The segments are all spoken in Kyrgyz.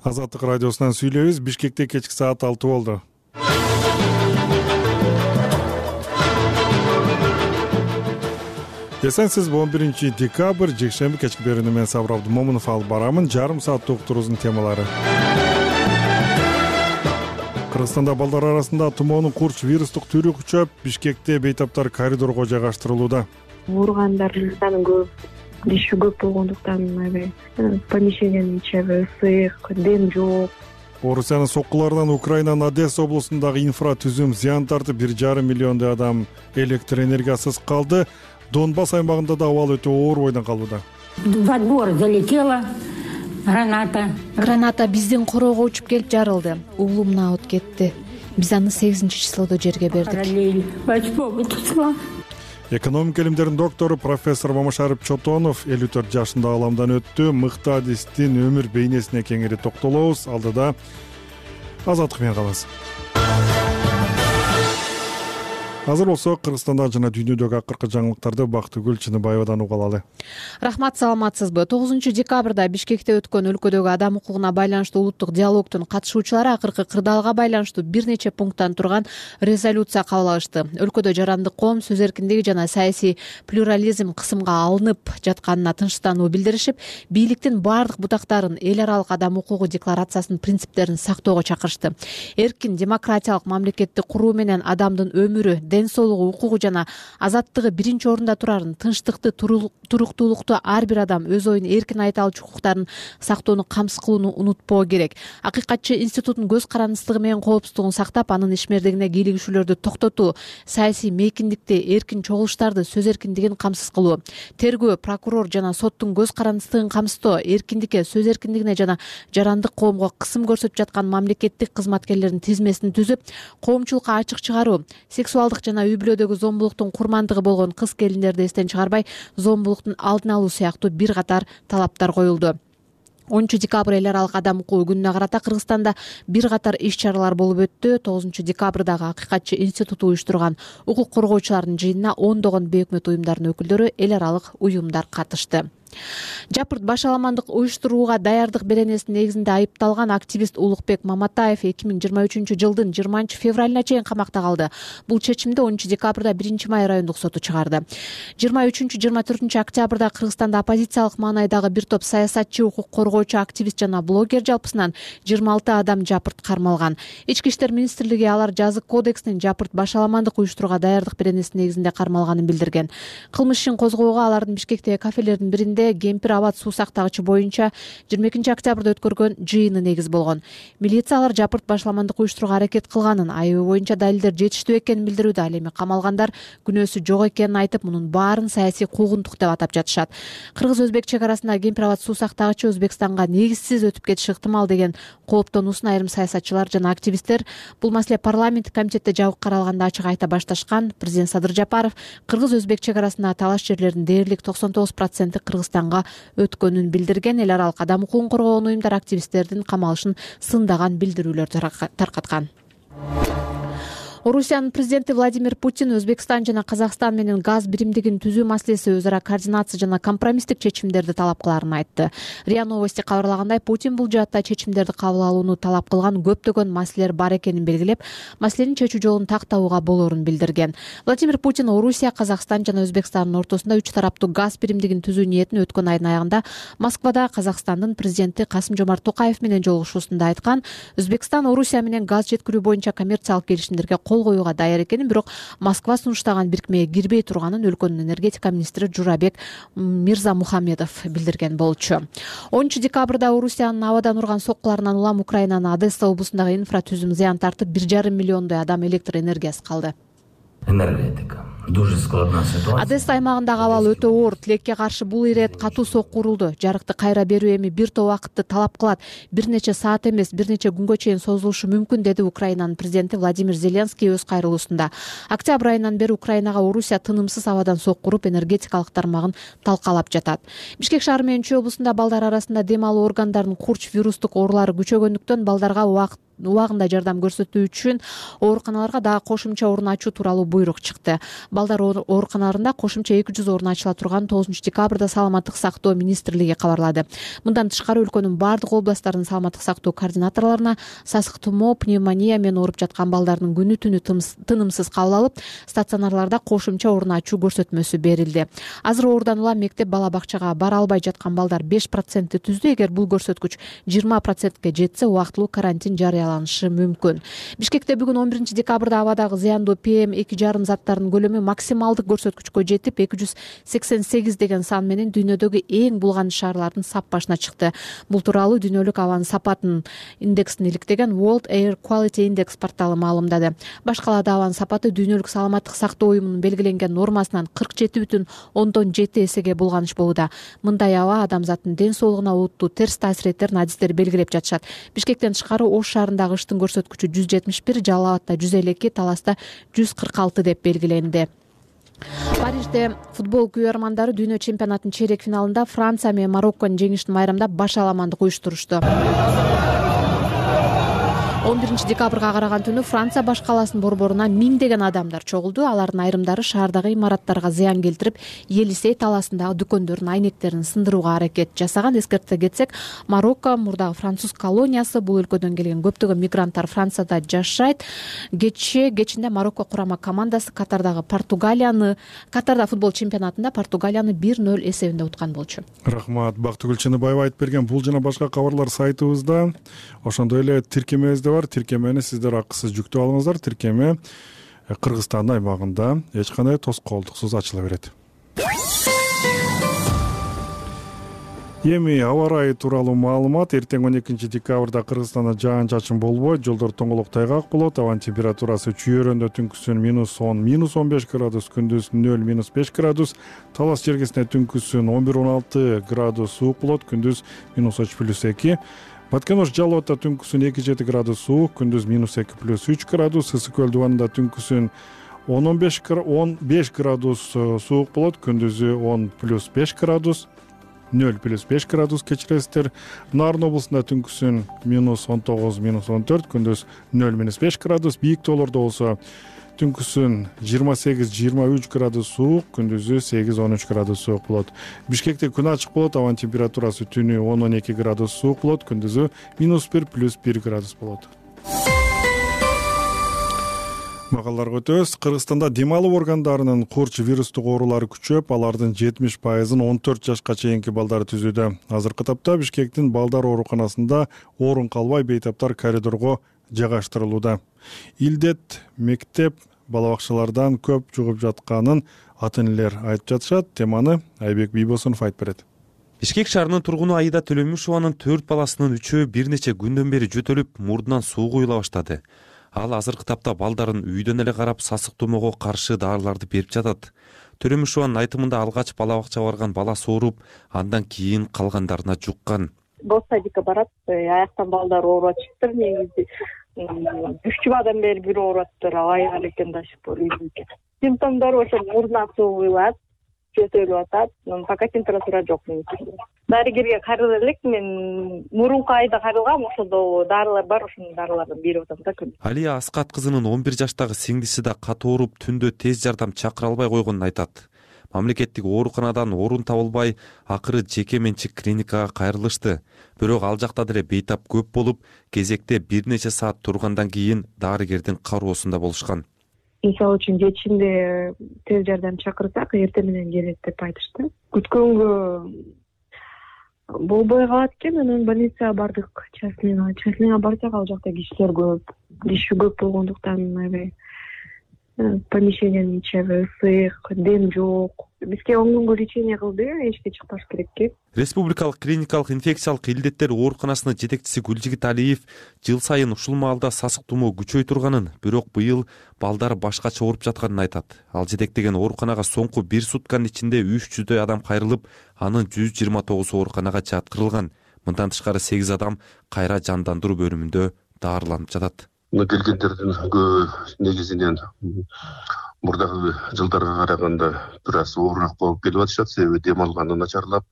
Азаттык радиосунан сүйлөйбүз. Бишкекте кечки саат 6 болду. Эсенсиз 11 декабрь жекшемби кечки берүүнү мен Сабыр Абдымомунов алып барамын. Жарым сааттык уктуруубуздун темалары. Кыргызстанда балдар арасында тумоонун курч вирустук түрү күчөп, Бишкекте бейтаптар коридорго жайгаштырылууда. Ооругандардын саны көп, диши көп болгондуктан помещениянын ичи ысык, дем жок. Орусиянын соккуларынан Украинанын Одесса облусундагы инфратүзүм зыян тартып, 1,5 миллиондой адам электр энергиясыз калды. Донбасс аймагында да абал өтө оор бойдон калууда. Во двор залетела Граната биздин короого учуп келип жарылды. Уулумна от кетти. Биз аны 8-числоодо жерге бердик. Экономика илимдеринин доктору профессор Мамашарып Чотонов 54 жашында ааламдан өттү. Мыкты адистин өмүр бейнесине кеңири токтолобуз. Алдыда азаттык менен калабыз. Азыр болсо Кыргызстанда жана дүйнөдөгү акыркы жаңылыктарды Бактыгүл Чыныбаевадан уга алалы. Рахмат, саламатсызбы? 9-декабрда Бишкекте өткөн өлкөдөгү адам укугуна байланыштуу улуттук диалогдун катышуучулары акыркы кырдаалга байланыштуу бир нече пункттан турган резолюция кабыл алышты. Өлкөдө жарандык коом, сөз эркиндиги жана саясий плюрализм кысымга алынып жатканына тынчтануу билдиришип, бийликтин баардык бутактарын эл аралык адам укугу декларациясынын принциптерин сактоого чакырышты. Эркин демократиялык мамлекетти куруу менен адамдын өмүрү, ден соолугу, укугу жана азаттыгы биринчи орунда турарын, тынчтыкты, туруктуулукту ар бир адам өз оюн эркин айта алчу укуктарын сактоону камсыз кылууну унутпоо керек. Акыйкатчы институттун көз карандысыздыгы менен коопсуздугун сактап, анын ишмердигине кийлигишүүлөрдү токтотуу, саясий мейкиндикти, эркин чогулуштарды, сөз эркиндигин камсыз кылуу, тергөө, прокурор жана соттун көз карандысыздыгын камсыздоо, эркиндикке, сөз эркиндигине жана жарандык коомго кысым көрсөтүп жаткан мамлекеттик кызматкерлердин тизмесин түзүп, коомчулукка ачык чыгаруу, сексуалдык жана үй бүлөдөгү зомбулуктун курмандыгы болгон кыз келиндерди эстен чыгарбай, зомбулуктун алдын алуу сыяктуу бир катар талаптар коюлду. 10 декабрь эл аралык адам укугу күнүнө карата Кыргызстанда бир катар иш чаралар болуп өттү. 9 декабрдагы Акыйкатчы институту уюштурган укук коргоочулардын жыйынына ондогон бейөкмөт уюмдардын өкүлдөрү, эл аралык уюмдар катышты. Жапырт башаламандык уюштурууга даярдык беренесинин негизинде айыпталган активист Улукбек Маматаев 2023 жылдын 20 февралына чейин камакта калды. Бул чечимди 10 декабрда 1 май райондук соту чыгарды. 23-24 октябрда Кыргызстанда оппозициялык маанайдагы бир топ саясатчы, укук коргоочу, активист жана блогер жалпысынан 26 адам жапырт кармалган. Ички иштер министрлиги алар жазык кодексинин жапырт башаламандык уюштурууга даярдык беренесинин негизинде кармалганын билдирген. Кылмыш ишин козгоого алардын Бишкектеги кафелердин биринде Кемпир абад суу сактагычы боюнча 22 октябрда өткөргөн жыйыны негиз болгон. Милиция алар жапырт башаламандык уюштурууга аракет кылганын, айыбы боюнча далилдер жетиштүү экенин билдирүүдө. Ал эми камалгандар күнөөсү жок экенин айтып, мунун баарын саясий куугунтук деп атап жатышат. Кыргыз-өзбек чек арасында Кемпир абад суу сактагычы Өзбекстанга негизсиз өтүп кетиши ыктымал деген кооптонуусун айрым саясатчылар жана активисттер бул маселе парламенттик комитетте жабык каралганда ачык айта башташкан. Президент Садыр Жапаров Кыргыз-өзбек чек арасындагы талаш жерлердин дээрлик 99% Кыргызстанга өткөнүн билдирген. Эл аралык адам укугун коргоогон уюмдар активисттердин камалышын сындаган билдирүүлөр таркаткан. Орусиянын президенти Владимир Путин Өзбекстан жана Казакстан менен газ биримдигин түзүү маселеси өз ара координация жана компромисстик чечимдерди талап кыларын айтты. РИА Новости кабарлагандай, Путин бул жаатта чечимдерди кабыл алууну талап кылган көптөгөн маселелер бар экенин белгилеп, маселенин чечүү жолун тактабууга болоорун билдирген. Владимир Путин Орусия, Казакстан жана Өзбекстандын ортосунда 3 тараптуу газ биримдигин түзүү ниетин өткөн айдын аягында Москвада Казакстандын президенти Касым-Жомарт Токаев менен жолугушуусунда айткан. Өзбекстан Орусия менен газ жеткирүү боюнча коммерциялык келишимдерге кол коюуга даяр экенин, бирок Москва сунуштаган бирикмеге кирбей турганын өлкөнүн энергетика министри Журабек Мирзамухамедов билдирген болчу. 10 декабрда Орусиянын абадан урган соккуларынан улам Украинанын Одесса облусундагы инфратүзүм зыян тартып, 1,5 миллиондой адам электр энергиясыз калды. Энергетика дуже складна ситуация. Одесса аймагындагы абал өтө оор. Тилекке каршы бул ирет катуу сокку урулду. Жарыкты кайра берүү эми бир топ убакытты талап кылат. Бир нече саат эмес, бир нече күнгө чейин созулушу мүмкүн, деди Украинанын президенти Владимир Зеленский өз кайрылуусунда. Октябрь айынан бери Украинага Орусия тынымсыз абадан сокку уруп, энергетикалык тармагын талкалап жатат. Бишкек шаары менен Чүй облусунда балдар арасында дем алуу органдарынын курч вирустук оорулары күчөгөндүктөн балдарга убагында жардам көрсөтүү үчүн ооруканаларга дагы кошумча орун ачуу тууралуу буйрук чыкты. Балдар ооруканаларында кошумча 200 орун ачыла турган 9 декабрда Саламаттык сактоо министрлиги кабарлады. Мындан тышкары өлкөнүн бардык областтарынын саламаттык сактоо координаторлоруна сасык тумоо, пневмония менен ооруп жаткан балдардын күнү түнү тынымсыз кабыл алып, стационарларда кошумча орун ачуу көрсөтмөсү берилди. Азыр оорудан улам мектеп бала бакчага бара албай жаткан балдар 5% түздү. Эгер бул көрсөткүч 20%ке жетсе, убактылуу карантин жарыяланышы мүмкүн. Бишкекте бүгүн 11 декабрда абадагы зыяндуу PM2,5 заттарынын көлөмү максималдык көрсөткүчкө жетип, 288 деген сан менен дүйнөдөгү эң булганыч шаарлардын сап башына чыкты. Бул тууралуу дүйнөлүк абанын сапатын индексин иликтеген World Air Quality Index порталы маалымдады. Башкалада абанын сапаты дүйнөлүк саламаттык сактоо уюмунун белгиленген нормасынан 47,7 эсеге булганыч болууда. Мындай аба адамзаттын ден соолугуна олуттуу терс таасир этерин адистер белгилеп жатышат. Бишкектен тышкары Ош шаарындагы кыштын көрсөткүчү 171, Жалал Абадта 152, Таласта 146 деп белгиленди. Парижде футбол күйөрмандары дүйнө чемпионатынын чейрек финалында Франция менен Марокконун жеңишин майрамдап баш аламандык уюштурушту. 11 декабрга караган түнү Франция баш каласынын борборуна миңдеген адамдар чогулду. Алардын айрымдары шаардагы имараттарга зыян келтирип, Елисей талаасындагы дүкөндөрдүн айнектерин сындырууга аракет жасаган. Эскерте кетсек, Марокко мурдагы француз колониясы, бул өлкөдөн келген көптөгөн мигранттар Францияда жашайт. Кечинде Марокко курама командасы Катарда футбол чемпионатында Португалияны 1-0 эсебинде уткан болчу. Рахмат, Бактыгүл Чыныбаева айтып берген бул жана башка кабарлар сайтыбызда. Ошондой эле тиркемебизде бар. Тиркемени сиздер акысыз жүктөп алыңыздар. Тиркеме Кыргызстандын аймагында эч кандай тоскоолдуксуз ачыла берет. Эми аба ырайы тууралуу маалымат. Эртең 12 декабрда Кыргызстанда жаан-чачын болбойт, жолдор тоңолок тайгак болот. Абанын температурасы чүйөрөндө түнкүсүн -10, -15 градус, күндүз 0, -5 градус. Талас жергесинде түнкүсүн 11-16 градус суук болот, күндүз -3+2. Баткен-Ош Жалал Абадта түнкүсүн 2-7 градус суук, күндүз -2+3 градус. Ысык көл дубанында түнкүсүн 10-15 градус суук болот, күндүзү 10+5 градус, 0+5 градус кечиресиздер. Нарын облусунда түнкүсүн -19-14, күндүз 0-5 градус. Бийик тоолордо болсо түнкүсүн 28-23 градус суук, күндүзү 8-13 градус суук болот. Бишкекте күн ачык болот, абанын температурасы түнү 10-12 градус суук болот, күндүзү -1+1 градус болот. Магаларга өтөбүз. Кыргызстанда дем алуу органдарынын курч вирустук оорулары күчөп, алардын 70%-ын 14 жашка чейинки балдар түзүүдө. Азыркы тапта Бишкектин балдар ооруканасында орун калбай бейтаптар коридорго жайгаштырылууда. Илдет мектеп бала бакчалардан көп жугуп жатканын ата-энелер айтып жатышат. Теманы Айбек Бийбосунов айтып берет. Бишкек шаарынын тургуну Аида Төлөмүшованын 4 баласынын 3-өө бир нече күндөн бери жөтөлүп, мурдунан суу куюла баштады. Ал азыркы тапта балдарын үйдөн эле карап сасык тумоого каршы дарыларды берип жатат. Төлөмүшованын айтымында алгач бала бакчага барган баласы ооруп, андан кийин калгандарына жуккан. Садикке барат, аяктан балдар ооруп атышыптыр. Негизи 3 жумадан бери бир ооруп атыптыр, айыгар экен дашып үйдүнкө. Симптомдору ошо мурдунан суу куюлат, жөтөлүп атат, пока температура жок. Дарыгерге карыла элек, мен мурунку айда карылгам, ошондо дарылар бар, ошонун дарыларын берип атам да күн. Алия Аскат кызынын 11 жаштагы сиңдиси да катуу ооруп, түндө тез жардам чакыра албай койгонун айтат. Мамлекеттик ооруканадан орун табылбай, акыры жеке менчик клиникага кайрылышты. Бирок ал жакта деле бейтап көп болуп, кезекте бир нече саат тургандан кийин дарыгердин кароосунда болушкан. Мисалы үчүн кечинде тез жардам чакырсак, эртең менен келет деп айтышты. Күткөнгө болбой калат экен, анан больницага бардык, частныйга барсак, ал жакта кишилер көп, киши көп болгондуктан аябай помещениянын ичи аябай ысык, дем жок. Бизге 10 күнгө лечение кылды, эчке чыкпаш керек экен. Республикалык клиникалык инфекциялык илдеттер ооруканасынын жетекчиси Гүлжигит Алиев жыл сайын ушул маалда сасык тумоо күчөй турганын, бирок быйыл балдар башкача ооруп жатканын айтат. Ал жетектеген ооруканага соңку 1 сутканын ичинде 300дөй адам кайрылып, анын 129 ооруканага жаткырылган. Мындан тышкары 8 адам кайра жандандыруу бөлүмүндө даарыланып жатат. Келгендердин негизинен мурдагы жылдарга караганда бир аз оорураак болуп келип атышат. Себеби дем алганы начарлап,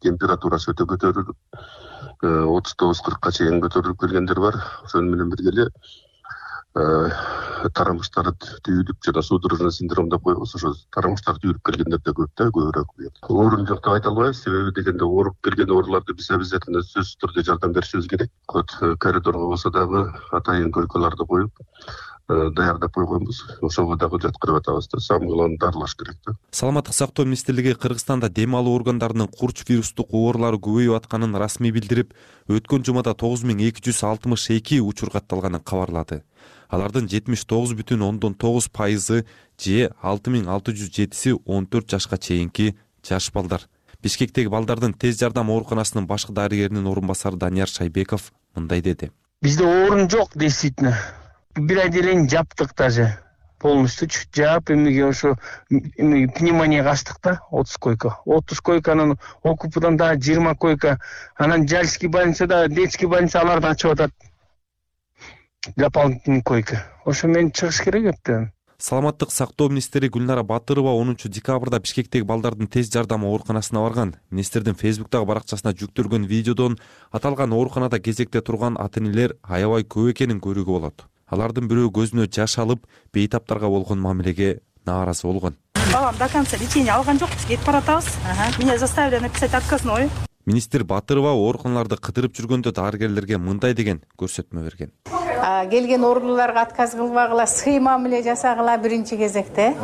температурасы өтө көтөрүлүп, 39-40 чейин көтөрүлүп келгендер бар. Ошону менен бирге эле тарамыштары түйүлүп жана судорожный синдром деп коебуз, ошо тарамыштар түйүлүп келгендер да көп да, көбүрөөк. Оорун жок деп айта албайбыз, себеби дегенде ооруп келген ооруларды биз обязательно сөзсүз түрдө жардам беришибиз керек. Коридорго болсо дагы атайын койкаларды коюп даярдап койгонбуз. Ошого дагы жаткырып атабыз да, самыйларын дарылаш керек да. Саламаттык сактоо министрлиги Кыргызстанда дем алуу органдарынын курч вирустук оорулары көбөйүп атканын расмий билдирип, өткөн жумада 9262 учур катталганын кабарлады. Алардын 79,9% же 6607 14 жашка чейинки жаш балдар. Бишкектеги балдардын тез жардам ооруканасынын башкы дарыгеринин орун басары Данияр Шайбеков мындай деди. Бизде оорун жок, действительно. Бир айделен жаптык даже. Полностью жаап, эмеге ошо пневмонияга ачтык да, 30 койка. 30 койканын окупудан да 20 койка. Анан Жальский больницада, детский больница аларды ачып атат. Дополнительный койка. Ошо мен чыгыш керек эптен. Саламаттык сактоо министри Гүлнара Батырова 10 декабрда Бишкектеги балдардын тез жардам ооруканасына барган. Министрдин Фейсбуктагы баракчасына жүктөлгөн видеодон аталган ооруканада кезекте турган ата-энелер аябай көп экенин көрүүгө болот. Алардын бирөө көзүнө жаш алып, бейтаптарга болгон мамилеге нааразы болгон. Балам до конца лечение алган жок, кетип баратабыз. Меня заставили написать отказной. Министр Батырова ооруканаларды кыдырып жүргөндө дарыгерлерге мындай деген көрсөтмө берген. Келген оорулууларга отказ кылбагыла, сый мамиле жасагыла биринчи кезекте.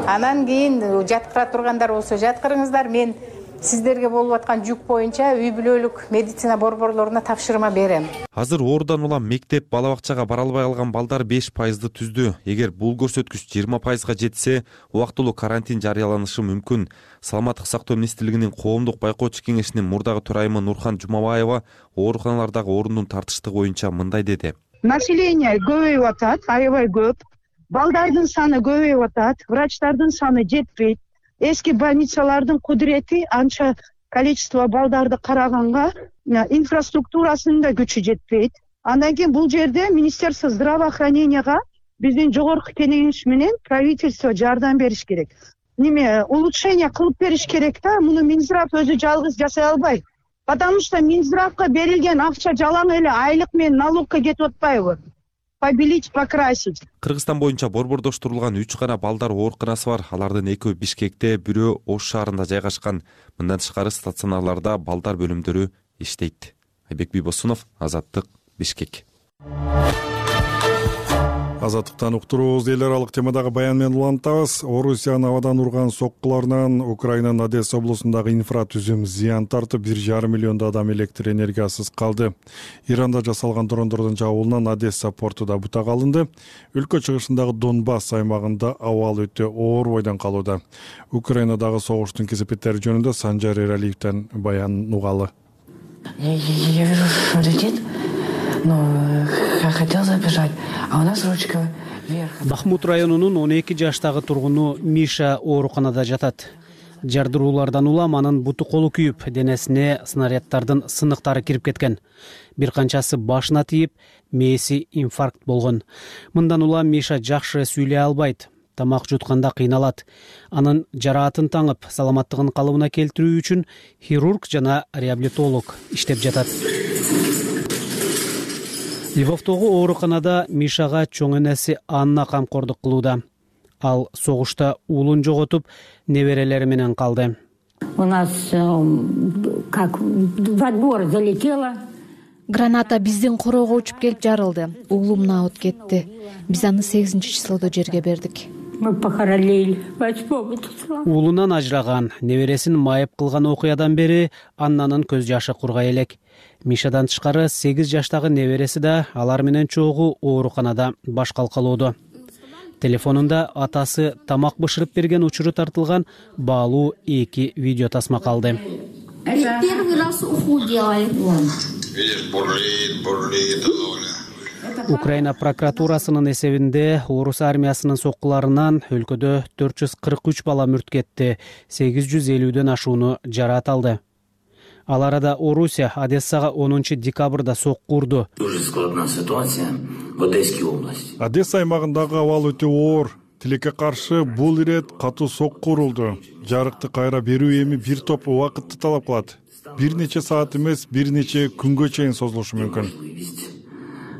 Анан кийин жаткыра тургандар болсо жаткырыңыздар, мен сиздерге болуп аткан жүк боюнча үй бүлөлүк медицина борборлоруна тапшырма берем. Азыр оорудан улам мектеп, бала бакчага бара албай калган балдар 5% түздү. Эгер бул көрсөткүч 20%га жетсе, убактылуу карантин жарыяланышы мүмкүн. Саламаттык сактоо министрлигинин коомдук байкоочу кеңешинин мурдагы төрайымы Нурхан Жумабаева ооруканалардагы орундун тартыштыгы боюнча мындай деди. Население көбөйүп атат, аябай көп. Балдардын саны көбөйүп атат, врачтардын саны жетпейт. Эски больницалардын кудурети анча количество балдарды караганга инфраструктурасынын да күчү жетпейт. Андан кийин бул жерде Министерство здравоохраненияга биздин жогорку кеңеш менен правительство жардам бериш керек. Улучшение кылып бериш керек да, муну Минздрав өзү жалгыз жасай албайт. Потому что Минздравга берилген акча жалаң эле айлык менен налогко кетип атпайбы? Побелить, покрасить. Кыргызстан боюнча борбордоштурулган 3 гана балдар ооруканасы бар. Алардын 2 Бишкекте, бирөө Ош шаарында жайгашкан. Мындан тышкары стационарларда балдар бөлүмдөрү иштейт. Айбек Бибосунов, Азаттык, Бишкек. Азаттыктан уктуруубуз. Эл аралык темадагы баян менен улантабыз. Орусиянын абадан урган соккуларынан Украинанын Одесса облусундагы инфратүзүм зыян тартып, 1,5 миллион адам электр энергиясыз калды. Иранда жасалган дрондордун жабуулунан Одесса портуда бутак алынды. Өлкө чыгышындагы Донбасс аймагында абал өтө оор бойдон калууда. Украинадагы согуштун кесепеттери жөнүндө Санжар Эралиевден баян угалы. Я вижу, что летит. Хотел забежать, а у нас ручка вверх. Бахмут районунун 12 жаштагы тургуну Миша ооруканада жатат. Жардыруулардан улам анын буту колу күйүп, денесине снаряддардын сыныктары кирип кеткен. Бир канчасы башына тийип, мээси инфаркт болгон. Мындан улам Миша жакшы сүйлөй албайт. Тамак жутканда кыйналат. Анын жараатын таңып, саламаттыгын калыбына келтирүү үчүн хирург жана реабилитолог иштеп жатат. Львовдогу ооруканада Мишага чоң энеси Анна камкордук кылууда. Ал согушта уулун жоготуп, неберелери менен калды. У нас как во двор залетела. Граната биздин короого учуп келип жарылды. Уулум наут кетти. Биз аны 8-числоодо жерге бердик. Мы похоронили. Уулунан ажыраган, небересин майып кылган окуядан бери Аннанын көз жашы кургай элек. Мишадан тышкары 8 жаштагы небереси да алар менен чогуу ооруканада баш калкалоодо. Телефонунда атасы тамак бышырып берген учуру тартылган баалуу 2 видео тасма калды. Первый раз уху делали. Украина прокуратурасынын эсебинде орус армиясынын соккуларынан өлкөдө 443 бала мүрт кетти, 850дөн ашууну жараат алды. Ал арада Орусия Одессага 10 декабрда сокку урду. Дуже складна ситуация в Одесской области. Одесса аймагындагы абал өтө оор. Тилекке каршы бул ирет катуу сокку урулду. Жарыкты кайра берүү эми бир топ убакытты талап кылат. бир нече саат эмес, бир нече күнгө чейин созулушу мүмкүн.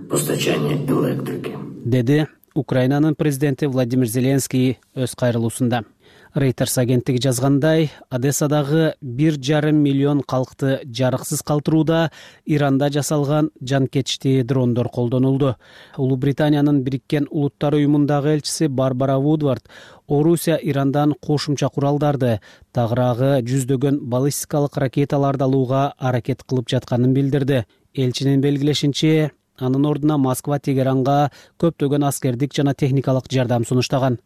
Постачание электрики, деди Украинанын президенти Владимир Зеленский өз кайрылуусунда. Reuters агенттиги жазгандай, Одессадагы 1,5 миллион калкты жарыксыз калтырууда Иранда жасалган жанкечти дрондор колдонулду. Улуу Британиянын Бириккен Улуттар уюмундагы элчиси Барбара Вудвард Орусия Ирандан кошумча куралдарды, тагыраагы жүздөгөн баллистикалык ракеталарды алууга аракет кылып жатканын билдирди. Элчинин белгилешинче, анын ордуна Москва Тегеранга көптөгөн аскердик жана техникалык жардам сунуштаган.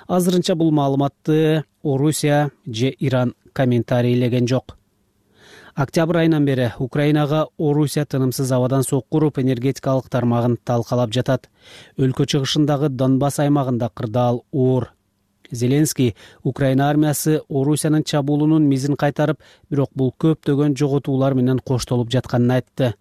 Азырынча бул маалыматты Орусия же Иран комментарийлеген жок. Октябрь айынан бери Украинага Орусия тынымсыз абадан сок куруп, энергетикалык тармагын талкалап жатат. Өлкө чыгышындагы Донбасс аймагында кырдаал оор. Зеленский Украина армиясы Орусиянын чабуулунун мизин кайтарып, бирок бул көптөгөн жоготуулар менен коштолуп жатканын айтты.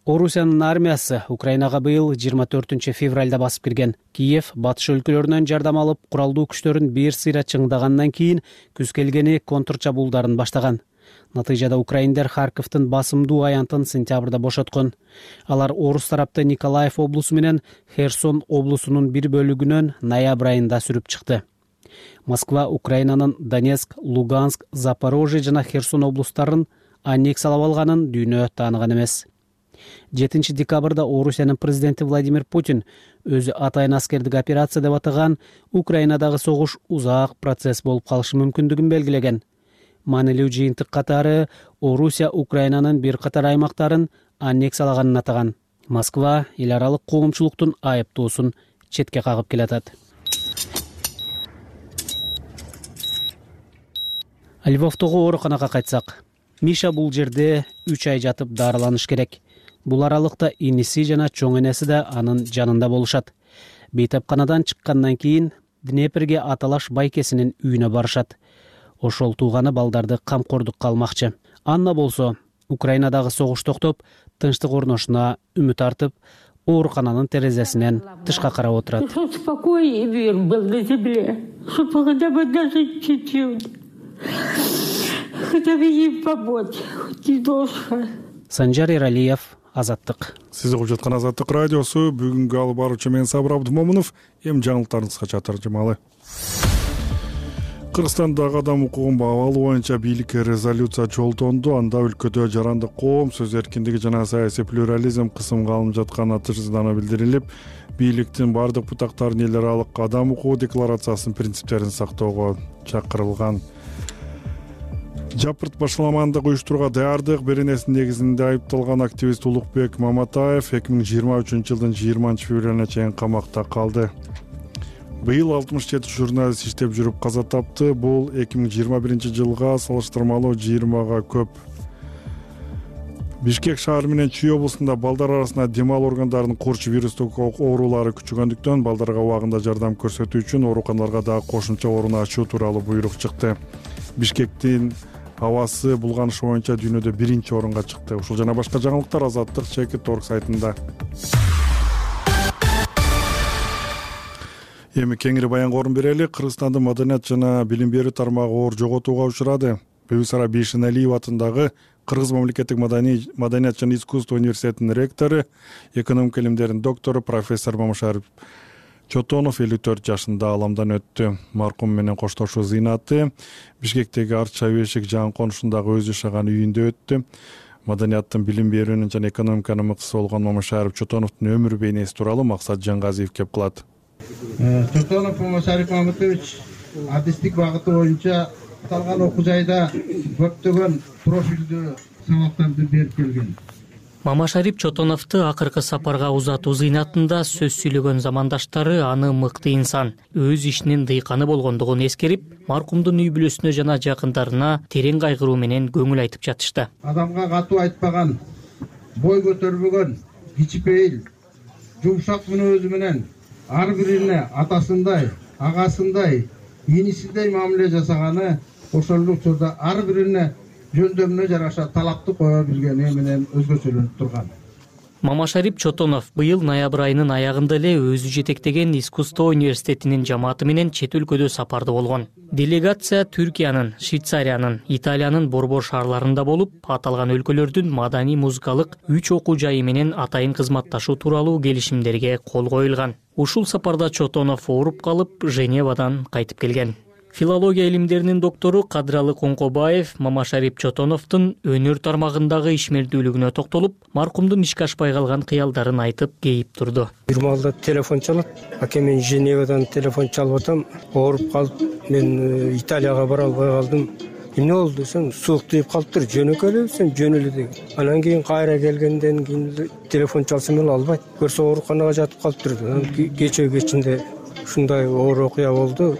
Орусиянын армиясы Украинага быйыл 24 февралда басып кирген. Киев батыш өлкөлөрүнөн жардам алып, куралдуу күчтөрүн бир сыйра чыңдагандан кийин күз келгени контрчабуулдарын баштаган. Натыйжада украиндер Харковдун басымдуу аянтын сентябрда бошоткон. Алар орус тарапты Николаев облусу менен Херсон облусунун бир бөлүгүнөн ноябрь айында сүрүп чыкты. Москва Украинанын Донецк, Луганск, Запорожье жана Херсон облустарын аннексиялап алганын дүйнө тааныган эмес. 7 декабрда Орусиянын президенти Владимир Путин өзү атайын аскердик операция деп атаган Украинадагы согуш узак процесс болуп калышы мүмкүндүгүн белгилеген. Маанилүү жыйынтык катары Орусия Украинанын бир катар аймактарын аннексиялаганын атаган. Москва эл аралык коомчулуктун айыптоосун четке кагып келатат. Львовдогу ооруканага кайтсак, Миша бул жерде 3 ай жатып дарыланыш керек. Бул аралыкта иниси жана чоң энеси да анын жанында болушат. Бейтапканадан чыккандан кийин Днеперге аталаш байкесинин үйүнө барышат. Ошол тууганы балдарды камкордукка алмакчы. Анна болсо Украинадагы согуш токтоп, тынчтык орношуна үмүт артып, оорукананын терезесинен тышка карап отурат. Спокой и мир был на земле, чтобы хотя бы даже чуть-чуть, хотя бы им помочь, хоть немножко. Санжар Эралиев, Азаттык. Сиз угуп жаткан Азаттык радиосу. Бүгүнкү алып баруучу мен Сабыр Абдымомунов. Эми жаңылыктарыңызга таржымалы. Кыргызстандагы адам укугун баалоо боюнча бийликке резолюция жолдонду. Анда өлкөдө жарандык коом, сөз эркиндиги жана саясий плюрализм кысымга алынып жатканы тыждана билдирилип, бийликтин бардык бутактарын эл аралык адам укугу декларациясынын принциптерин сактоого чакырылган. Жапырт башаламандык уюштурууга даярдык беренесинин негизинде айыпталган активист Улукбек Маматаев 2023 жылдын 20 февралына чейин камакта калды. Быйыл 67 журналист иштеп жүрүп каза тапты. Бул 2021 жылга салыштырмалуу 20га көп. Бишкек шаары менен Чүй облусунда балдар арасында дем алуу органдарынын корч вирустук оорулары күчөгөндүктөн балдарга убагында жардам көрсөтүү үчүн ооруканаларга дагы кошумча орун ачуу тууралуу буйрук чыкты. Бишкектин абасы булганышы боюнча дүйнөдө 1-орунга чыкты. Ушул жана башка жаңылыктар Азаттык Чекит.org сайтында. Эми кеңири баянга орун берели. Кыргызстандын маданият жана билим берүү тармагы оор жоготууга учурады. Бибисара Бейшеналиев атындагы Кыргыз мамлекеттик маданият жана искусство университетинин ректору, экономика илимдеринин доктору профессор Мамашарip Чотонов 54 жашында аламдан өттү. Маркум менен коштошуу зыйнаты Бишкектеги Арча Бешик жан конушундагы өзү жашаган үйүндө өттү. Маданияттын, билим берүүнүн жана экономиканын мыкты болгон Мамашарip Чотоновдун өмүр бейнеси тууралуу Максат Жангазиев кеп кылат. Чотонов Мамашарip Мамытович адистик багыты боюнча аталган окуу жайда көптөгөн профилдүү сабактарды берип келген. Мамашарip Чотоновду акыркы сапарга узатуу зыйнатында сөз сүйлөгөн замандаштары аны мыкты инсан, өз ишинин дыйканы болгондугун эскерип, маркумдун үй бүлөсүнө жана жакындарына терең кайгыруу менен көңүл айтып жатышты. Адамга катуу айтпаган, бой көтөрбөгөн, кичипейил, жумшак мүнөзү менен ар бирине атасындай, агасындай, инисиндей мамиле жасаганы ошол учурда ар бирине жөндөмүнө жараша талапты кое билгени менен өзгөчөлөнүп турган. Мамашарип Чотонов быйыл ноябрь айынын аягында эле өзү жетектеген искусство университетинин жамааты менен чет өлкөдө сапарда болгон. Делегация Түркиянын, Швейцариянын, Италиянын борбор шаарларында болуп, аталган өлкөлөрдүн маданий музыкалык 3 окуу жайы менен атайын кызматташуу тууралуу келишимдерге кол коюлган. Ушул сапарда Чотонов ооруп калып, Женевадан кайтып келген. Филология илимдеринин доктору Кадыралы Коңкобаев Мамашарип Чотоновдун өнөр тармагындагы ишмердүүлүгүнө токтолуп, маркумдун ишке ашпай калган кыялдарын айтып кейип турду. Бир маалда телефон чалат. Аке, мен Женевадан телефон чалып атам. Ооруп калып, мен Италияга бара албай калдым. Эмне болду десем, суук тийип калыптыр, жөнөкөй эле десем, жөнөлө деген. Анан кийин кайра келгенден кийин телефон чалсам эле албайт. Көрсө ооруканага жатып калыптыр. Кечээ кечинде ушундай оор окуя болду.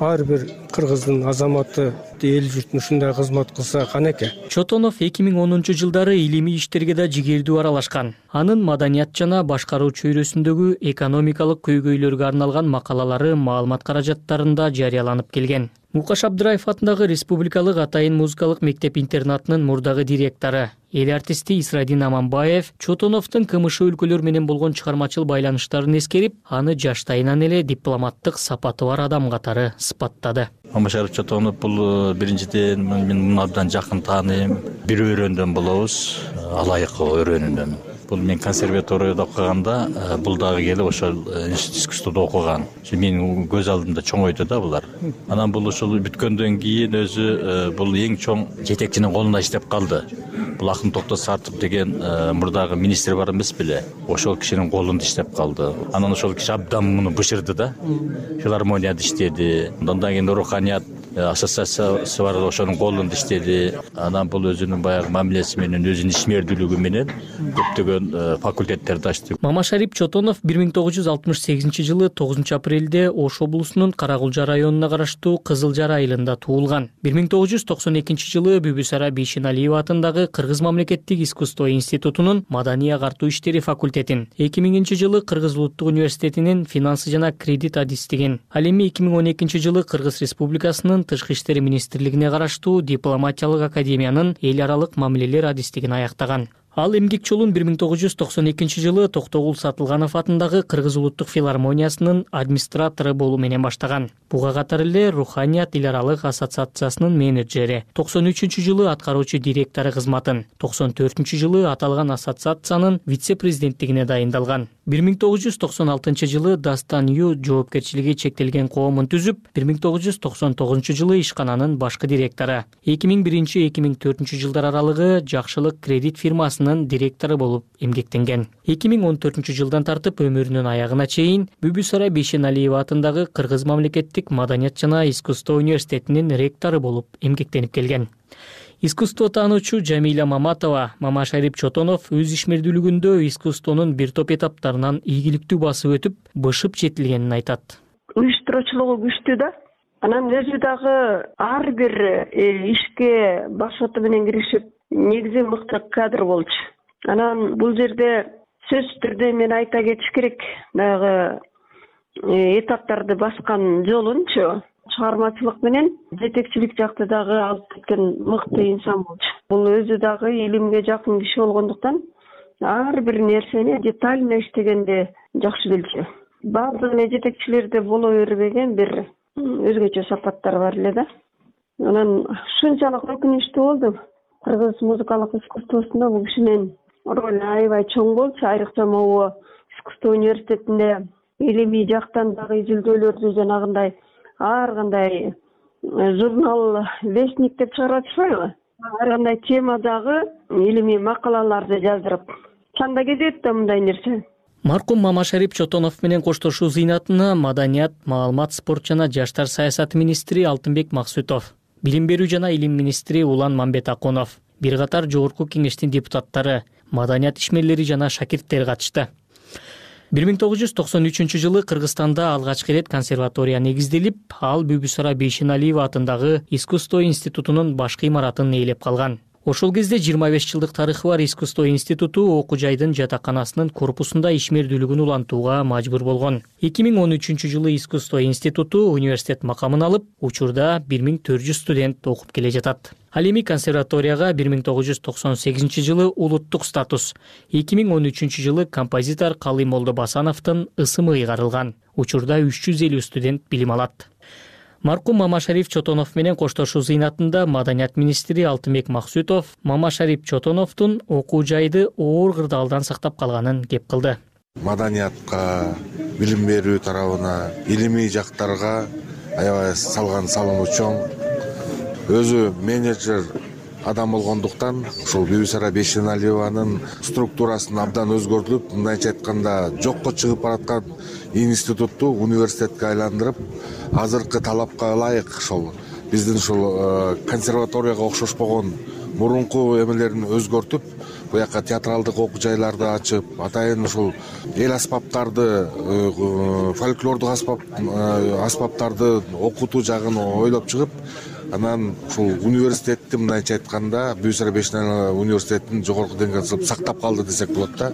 Ар бир кыргыздын азаматы эл журтуна ушундай кызмат кылса канеке. Чотонов 2010 жылдары илимий иштерге да жигердүү аралашкан. Анын маданият жана башкаруу чөйрөсүндөгү экономикалык көйгөйлөргө арналган макалалары маалымат каражаттарында жарыяланып келген. Мукаш Абдыраев атындагы Республикалык атайын музыкалык мектеп-интернатынын мурдагы директору, эл артисти Исрадин Аманбаев Чотоновдун КМШ өлкөлөр менен болгон чыгармачыл байланыштарын эскерип, аны жаштайынан эле дипломаттык сапаты бар адам катары сыпаттады. Мамашарип Чотонов бул биринчиден мен муну абдан жакын тааныйм. Бир өрөөндөн болобуз, алайык өрөөнүнөн. Бул мен консерваторияда окуганда, бул дагы келип ошол искусстводо окуган. Менин көз алдымда чоңойду да булар. Анан бул ушул бүткөндөн кийин өзү бул эң чоң жетекчинин колунда иштеп калды. Бул Акын Токтос Сартов деген мурдагы министр бар эмес беле? Ошол кишинин колунда иштеп калды. Анан ошол киши абдан муну бышырды да. Филармонияда иштеди. Андан кийин руханият ассоциациясы бар, ошонун колунда иштеди. Анан бул өзүнүн баягы мамилеси менен, өзүнүн ишмердүүлүгү менен көптөгөн факультеттерди ачты. Мамашарип Чотонов 1968 жылы 9 апрелде Ош облусунун Карагулжа районуна караштуу Кызыл Жара айылында туулган. 1992 жылы Бүбүсара Бейшеналиева атындагы Кыргыз мамлекеттик искусство институтунун маданий агартуу иштери факультетин, 2000 жылы Кыргыз улуттук университетинин финансы жана кредит адистигин, ал эми 2012 жылы Кыргыз Республикасынын Тышкы иштер министрлигине караштуу дипломатиялык академиянын эл аралык мамилелер адистигин аяктаган. Ал эмгек жолун 1992 жылы Токтогул Сатылганов атындагы Кыргыз улуттук филармониясынын администратору болуу менен баштаган. Буга катар эле Руханият эл аралык ассоциациясынын менеджери, 93 жылы аткаруучу директору кызматын, 94 жылы аталган ассоциациянын вице-президенттигине дайындалган. 1996 жылы Дастан Ю жоопкерчилиги чектелген коомун түзүп, 1999 жылы ишкананын башкы директору, 2001-2004 жылдар аралыгы Жакшылык кредит фирмасынын директору болуп эмгектенген. 2014 жылдан тартып өмүрүнүн аягына чейин Бүбүсара Бейшеналиева атындагы Кыргыз мамлекеттик маданият жана искусство университетинин ректору болуп эмгектенип келген. Искусство таануучу Жамиля Маматова Мамашарип Чотонов өз ишмердүүлүгүндө искусствонун бир топ этаптарынан ийгиликтүү басып өтүп, бышып жетилгенин айтат. Уюштуруучулугу күчтүү да. Анан өзү дагы ар бир ишке башоты менен киришип, негизи мыкты кадр болчу. Анан бул жерде сөзсүз түрдө мен айта кетиш керек, дагы этаптарды баскан жолунчу чыгармачылык менен жетекчилик жакты дагы алып кеткен мыкты инсан болчу. Бул өзү дагы илимге жакын киши болгондуктан ар бир нерсени детально иштегенде жакшы билчү. Баардык жетекчилерде боло бербеген бир өзгөчө сапаттар бар эле да. Анан ушунчалык өкүнүчтүү болду. Кыргыз музыкалык искусствосунда бул кишинин ролу аябай чоң болчу. Айрыкча могу искусство университетинде илимий жактан дагы изилдөөлөрдү жанагындай ар кандай журнал Вестник деп чыгарып атышпайбы? Ар кандай темадагы илимий макалаларды жаздырып чанда кетет да мындай нерсе. Маркум Мамашарип Чотонов менен коштошуу зыйнатына маданият, маалымат, спорт жана жаштар саясаты министри Алтынбек Максутов, билим берүү жана илим министри Улан Мамбет Аконов, бир катар жогорку кеңештин депутаттары, маданият ишмерлери жана шакирттер катышты. 1993 жылы Кыргызстанда алгачкы ирет консерватория негизделип, ал Бүбүсара Бейшеналиева атындагы искусство институтунун башкы имаратын ээлеп калган. Ошол кезде 25 жылдык тарыхы бар искусство институту окуу жайдын жатаканасынын корпусунда ишмердүүлүгүн улантууга мажбур болгон. 2013 жылы искусство институту университет макамын алып, учурда 1400 студент окуп келе жатат. Ал эми консерваторияга 1998 жылы улуттук статус, 2013 жылы композитор Калый Молдобасановдун ысымы ыйгарылган. Учурда 350 студент билим алат. Маркум Мамашариф Чотонов менен коштошуу зыйнатында Маданият министри Алтынбек Максутов Мамашариф Чотоновдун окуу жайды оор кырдаалдан сактап калганын кеп кылды. Маданиятка, билим берүү тарабына, илимий жактарга аябай салган салымы чоң. Өзү менеджер адам болгондуктан ушул Бибисара Бейшеналиеванын структурасын абдан өзгөртүлүп, мындайча айтканда жокко чыгып бараткан институтту университетке айландырып, азыркы талапка ылайык ошол биздин ушул консерваторияга окшошпогон мурунку эмелерин өзгөртүп, буяка театралдык окуу жайларды ачып, атайын ушул эл аспаптарды, фольклордук аспаптарды окутуу жагын ойлоп чыгып, анан ушул университетти мындайча айтканда Бибисара Бейшеналиева университетин жогорку деңгээлде сактап калды десек болот да.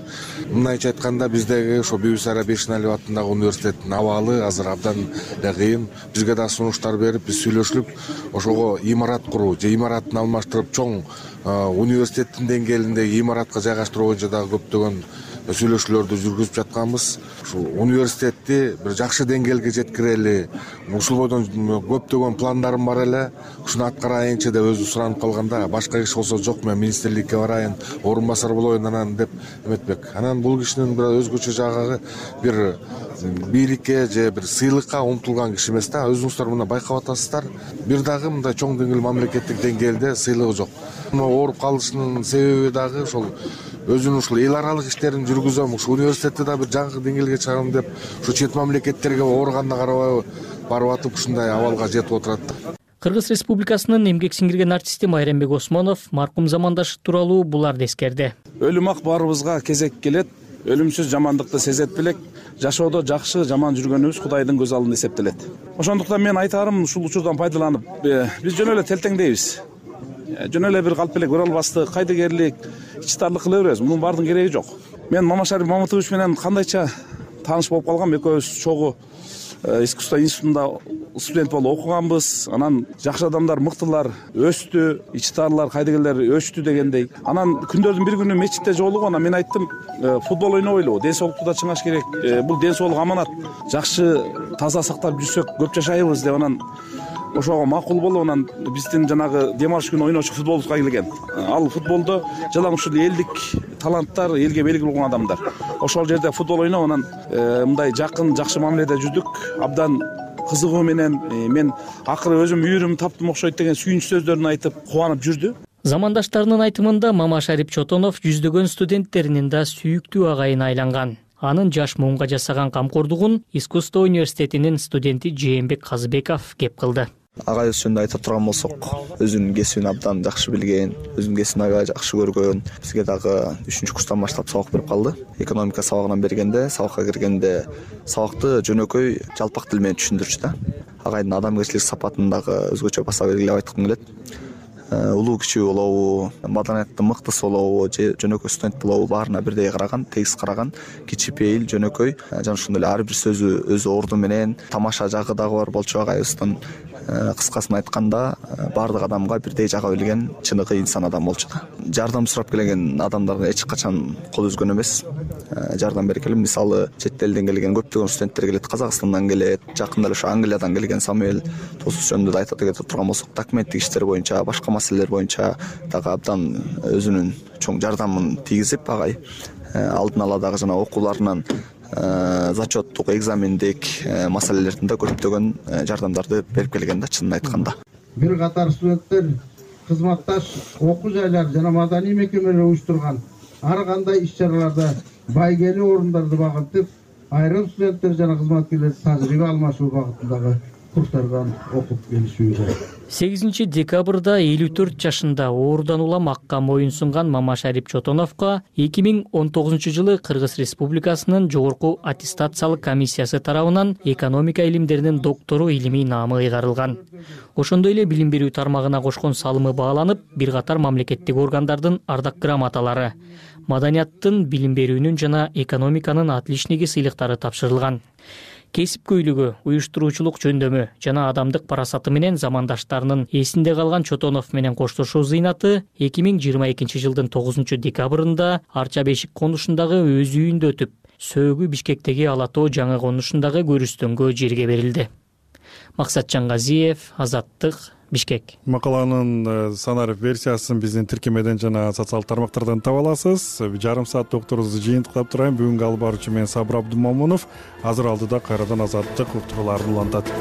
Мындайча айтканда биздеги ошо Бибисара Бейшеналиева атындагы университеттин абалы азыр абдан эле кыйын. Бизге да сунуштар берип, биз сүйлөшүп, ошого имарат куруу же имаратын алмаштырып чоң университеттин деңгээлиндеги имаратка жайгаштыруу боюнча дагы көптөгөн сүйлөшүүлөрдү жүргүзүп жатканбыз. Ушул университетти бир жакшы деңгээлге жеткирели, ушул бойдон көптөгөн пландарым бар эле. Ушуну аткарайынчы деп өзү суранып калганда, башка киши болсо жок, мен министрликке барайын, орун басар болоюн анан деп эметпек. Анан бул кишинин бир өзгөчө жагы бир бийликке же бир сыйлыкка умтулган киши эмес да. Өзүңүздөр мына байкап атасыздар. Бир дагы мындай чоң деңгээл мамлекеттик деңгээлде сыйлыгы жок. Ооруп калышынын себеби дагы ошол өзүнүн ушул эл аралык иштерин жүргүзөм, ушул университетти да бир жаңы деңгээлге чыгарам деп, ушу чет мамлекеттерге ооруганда карабай барып атып ушундай абалга жетип отурат. Кыргыз Республикасынын эмгек сиңирген артисти Майрамбек Осмонов маркум замандашы тууралуу буларды эскерди. Өлүм ак баарыбызга кезек келет. Өлүмсүз жамандыкты сезет белек. Жашоодо жакшы, жаман жүргөнүбүз Кудайдын көз алдында эсептелет. Ошондуктан мен айтарым, ушул учурдан пайдаланып, биз жөн эле телтеңдейбиз. Жөн эле бир калп эле көрө албастык, кайдыгерлик, ичтарлык кыла беребиз. Мунун баардыгынын кереги жок. Мен Мамашариф Мамытович менен кандайча тааныш болуп калгам. Экөөбүз чогуу искусство институтунда студент болуп окуганбыз. Анан жакшы адамдар, мыктылар өстү, ичтарлар, кайдыгерлер өчтү дегендей. Анан күндөрдүн бир күнү мечитте жолугуп, анан мен айттым, футбол ойнобойлу, ден соолукту да чыңаш керек. Бул ден соолук аманат. Жакшы таза сактап жүрсөк көп жашайбыз деп анан ошого макул болуп, анан биздин жанагы дем алыш күнү ойночу футболубузга келген. Ал футболдо жалаң ушул элдик таланттар, элге белгилүү болгон адамдар. Ошол жерде футбол ойноп, анан мындай жакын, жакшы мамиледе жүрдүк. Абдан кызыгуу менен мен акыры өзүм үйүрүм таптым окшойт деген сүйүнүч сөздөрүн айтып кубанып жүрдү. Замандаштарынын айтымында Мамашариф Чотонов жүздөгөн студенттеринин да сүйүктүү агайына айланган. Анын жаш муунга жасаган камкордугун искусство университетинин студенти Жээнбек Казыбеков кеп кылды. Агайыбыз жөнүндө айтып турган болсок, өзүнүн кесибин абдан жакшы билген, өзүнүн кесибин аябай жакшы көргөн. Бизге дагы 3-курстан курстан баштап сабак берип калды. Экономика сабагынан бергенде, сабакка киргенде сабакты жөнөкөй жалпак тил менен түшүндүрчү да. Агайдын адамгерчилик сапатын дагы өзгөчө баса белгилеп айткым келет. Улуу кичүү болобу, маданияттын мыктысы болобу, же жөнөкөй студент болобу, баарына бирдей караган, тегиз караган, кичипейил, жөнөкөй, жана ошондой эле ар бир сөзү өз орду менен, тамаша жагы дагы бар болчу агайыбыздын. Кыскасын айтканда, баардык адамга бирдей жага билген чыныгы инсан адам болчу да. Жардам сурап келген адамдарга эч качан кол үзгөн эмес. Жардам бере келем. Мисалы, чет элден келген көптөгөн студенттер келет, Казакстандан келет, жакында эле ошо Англиядан келген Самуэль Тосус жөнүндө да айта турган болсок, документтик иштер боюнча, башка маселелер боюнча дагы абдан өзүнүн чоң жардамын тийгизип, агай алдын ала дагы жана окууларынан зачеттук, экзамендик маселелердин да көптөгөн жардамдарды берип келген да, чынын айтканда. Бир катар студенттер кызматташ окуу жайлар жана маданий мекемелер уюштурган ар кандай иш-чараларда байгелүү орундарды багынтып, айрым студенттер жана кызматкерлер тажрыйба алмашуу багытындагы курстардан окуп келишүүдө. 8 декабрда 54 жашында оорудан улам акка моюн сунган Мамашариф Чотоновго 2019 жылы Кыргыз Республикасынын жогорку аттестациялык комиссиясы тарабынан экономика илимдеринин доктору илимий наамы ыйгарылган. Ошондой эле билим берүү тармагына кошкон салымы бааланып, бир катар мамлекеттик органдардын ардак грамоталары, маданияттын, билим берүүнүн жана экономиканын отличниги сыйлыктары тапшырылган. кесипкөйлүгү, уюштуруучулук жөндөмү жана адамдык парасаты менен замандаштарынын эсинде калган Чотонов менен коштошуу зыйнаты 2022 жылдын 9 декабрында Арча Бешик конушундагы өз үйүндө өтүп, сөөгү Бишкектеги Ала Тоо жаңы конушундагы көрүстөнгө жерге берилди. Максатжан Газиев, Азаттык, Бишкек. Макаланын санарып версиясын биздин тиркемеден жана социалдык тармактардан таба аласыз. Жарым саат докторубузду жыйынтыктап турайын. Бүгүнкү алып баруучу мен Сабыр Абдумамунов. Азыр алдыда кайрадан Азаттык уктурууларын улантат.